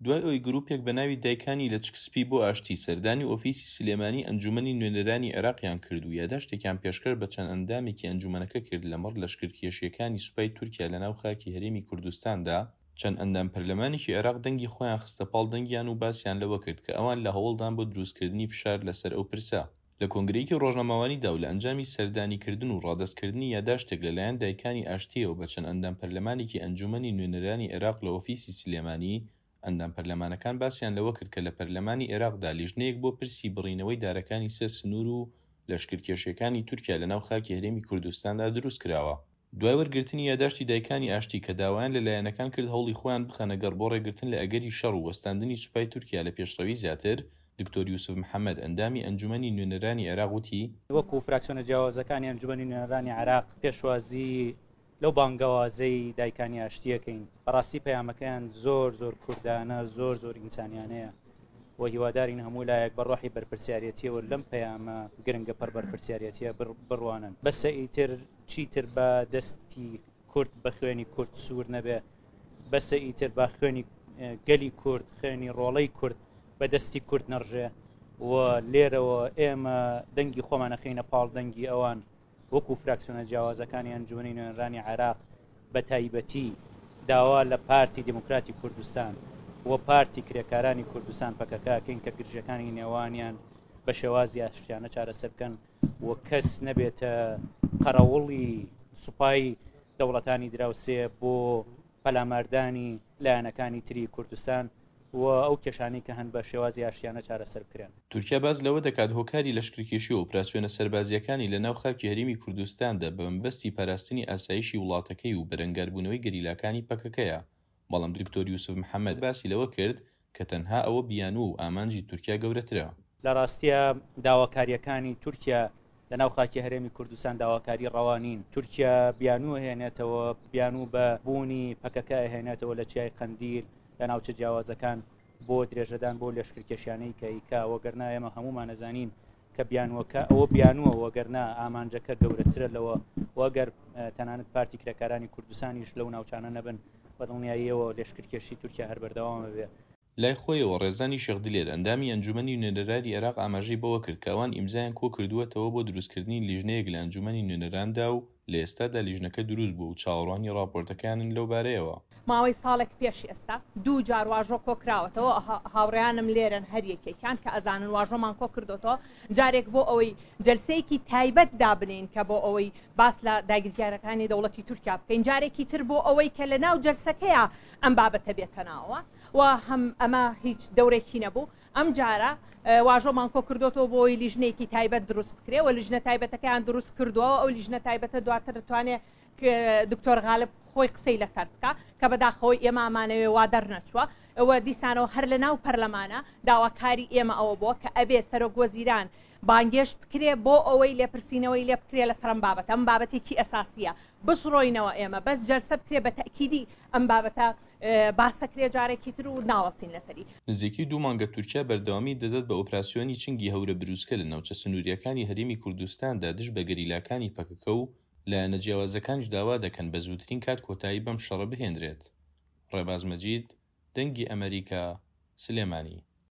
دوای ئەوەی گروپێک بە ناوی دایکانی لەچک سپی بۆ ئاشتی سەردانی ئۆفیسی سلێمانی ئەنجومەنی نوێنەرانی عێراقیان کرد و یاداشتێکیان پێشکەش بە چەند ئەندامێکی ئەنجومەنەکە کرد لەمەڕ لەشکرکێشییەکانی سوپای تورکیا لەناو خاکی هەرێمی کوردستاندا، چەند ئەندام پەرلەمانێکی عێراق دەنگی خۆیان خستە پاڵ دەنگیان و باسیان لەوە کرد کە ئەوان لە هەوڵدان بۆ دروستکردنی فشار لەسەر ئەو پرسە. لە کۆنگرەیەکی ڕۆژنامەوانیدا و لە ئەنجامی سەردانیکردن و ڕادەستکردنی یاداشتێک لەلایەن دایکانی ئاشتییەوە بە چەند ئەندام پەرلەمانێکی ئەنجوومەنی نوێنەرانی عێراق لە ئۆفیسی سلێمانی، ئەندام پەرلەمانەکان باسیان لەوە کرد کە لە پەرلەمانی عێراقدا لیژنەیەک بۆ پرسی بڕینەوەی دارەکانی سەر سنوور و لەشکرکێشییەکانی تورکیا لەناو خاکی هەرێمی کوردستاندا دروستکراوە. دوای وەرگرتنی یاداشتی دایکانی ئاشتی کە داوایان لە لایەنەکان کرد هەوڵی خۆیان بخەنە گەڕ بۆ ڕێگرتن لە ئەگەری شەڕ و وەستاندنی سوپای تورکیا لە پێشڕەوی زیاتر، دکتۆر یوسف محەمەد، ئەندامی ئەنجومەنی نوێنەرانی عێراق وتی، وەکو فراکسیۆنە جیاوازەکانی ئەنجومەنی نوێنەرانی عێراق پێشوازی لەو بانگەوازەی دایکانی ئاشتی ئەکەین، بەڕاستی پەیامەکەیان زۆر زۆر کوردانە، زۆر زۆر ئینسانیانەیە و هیوادارین هەموو لایەک بە ڕۆحی بەرپرسیارێتیەوە لەم پەیامە گرنگە پڕ بەرپرسیارێتیە بڕوانن. بەسە ئیتر چیتر با دەستی کورد بە خوێنی کورد سوور نەبێ، بەسە ئیتر با خوێنی گەلی کورد، خوێنی ڕۆڵەی کورد بە دەستی کورد نەڕژێ و لێرەوە ئێمە دەنگی خۆمان ئەخەینە پاڵ دەنگی ئەوان وەکو فراکسیۆنە جیاوازەکانی ئەنجومەنی نوێنەرانی عێراق بە تایبەتی داوا لە پارتی دیموکراتی کوردستان و پارتی کرێکارانی کوردستان پەکەکە ئەکەین کە گرژەکانی نێوانیان بە شێوازی ئاشتیانە چارەسەر بکەن و کەس نەبێتە قەرەوڵی سوپای دەوڵەتانی دراوسێ بۆ پەلاماردانی لایەنەکانی تری کوردستان و ئەو کێشانەی کە هەن بە شێوازی ئاشتیانە چارەسەر بکرێن. تورکیا باس لەوە دەکات هۆکاری لەشکرکێشی و ئۆپراسیۆنە سەربازییەکانی لە ناو خاکی هەرێمی کوردستاندا بە مەبەستی پاراستنی ئاسایشی وڵاتەکەی و بەرەنگاربوونەوەی گەریلاکانی پەکەکەیە، بەڵام دکتۆر یوسف محەمەد باسی لەوە کرد کە تەنها ئەوە بیانووە و ئامانجی تورکیا گەورەترە. لە ڕاستیا داواکارییەکانی تورکیا لە ناو خاکی هەرێمی کوردستان داواکاری ڕەوا نین. تورکیا بیانوو ئەهێنێتەوە، بیانوو بە بوونی پەکەکە ئەهێنێتەوە لە چیای قەندیل، لە ناوچە جیاوازەکان بۆ درێژەدان بەو لەشکرکێشیانەی کە ئەیکا، وەگەرنا ئێمە هەموومان ئەزانین کە بیانووەکە ئەوە بیانووە، وەگەرنا ئامانجەکە گەورەترە لەوە و ئەگەر تەنانەت پارتی کرێکارانی کوردستانیش لەو ناوچانە نەبن بە دڵنیاییەوە لەشکرکێشی تورکیا هەر بەردەوام ئەبێ. لای خۆیەوە ڕێزانی شێخ دلێر، ئەندامی ئەنجومەنی نوێنەراری عێراق ئاماژەی بەوەکرد کە ئەوان ئیمزایان کۆکردووەتەوە بۆ دروستکردنی لیژنەیەک لە ئەنجومەنی نوێنەراندا و لە ئێستادا لیژنەکە دروست بووە و چاوەڕوانی ڕاپۆرتەکەیانن لەو بارەیەوە. ماوەی ساڵێک پێش ئێستا دوو جار واژۆ کۆکراوەتەوە، هاوڕێیانم لێرەن هەر یەکێکیان کە ئەزانن واژۆمان کۆکردۆتەوە، جارێک بۆ ئەوەی جەلسەیەکی تایبەت دابنێین کە بۆ ئەوەی باس لە داگیرکارەکانی دەوڵەتی تورکیا بکەین، جارێکی تر بۆ ئەوەی کە لە ناو جەلسەکەیا ئەم بابەتە بێتە ناوەوە و هەم ئەمە هیچ دەورێکی نەبوو. ئەم جارە واژۆمان کۆ کردۆتەوە بۆ ئەوەی لیژنەیەکی تایبەت دروست بکرێ و لیژنە تایبەتەکەیان دروست کردووە ئەو لیژنە تایبەتە دواتر دەتوانێت دکتۆر غالب خۆی قسەی لەسەر بکە کە بەداخەوەی ئێمە ئەمانەوێ وا دەرنەچووە ئەوە دیسانەوە هەر لە ناو پەرلەمانە داواکاری ئێمە ئەوە بووە کە ئەبێ سەرۆک وەزیران بانگێشت بکرێ بۆ ئەوەی لێپرسینەوەی لێ بکرێ لەسەر ئەم بابەتە ئەم بابەتێکی ئەساسیە بشڕۆینەوە ئێمە بەس جەلسە بکرێ بە تەئکیدی ئەم بابەتە باسەکرێ جارێکی تر و ناوەستین لەسەری. نزیکەی دوو مانگە تورکیا بەردەوامی دەدات بە ئۆپراسیۆنی چنگی هەورە بروسکە لە ناوچە سنوورییەکانی هەرێمی کوردستاندا دژ بە گەریلاکانی پەکەکە و لایەنە جیاوازەکانیش داوا دەکەن بە زووترین کات کۆتایی بەم شەڕە بهێنرێت. ڕێباز مەجید، دەنگی ئەمەریکا، سلێمانی.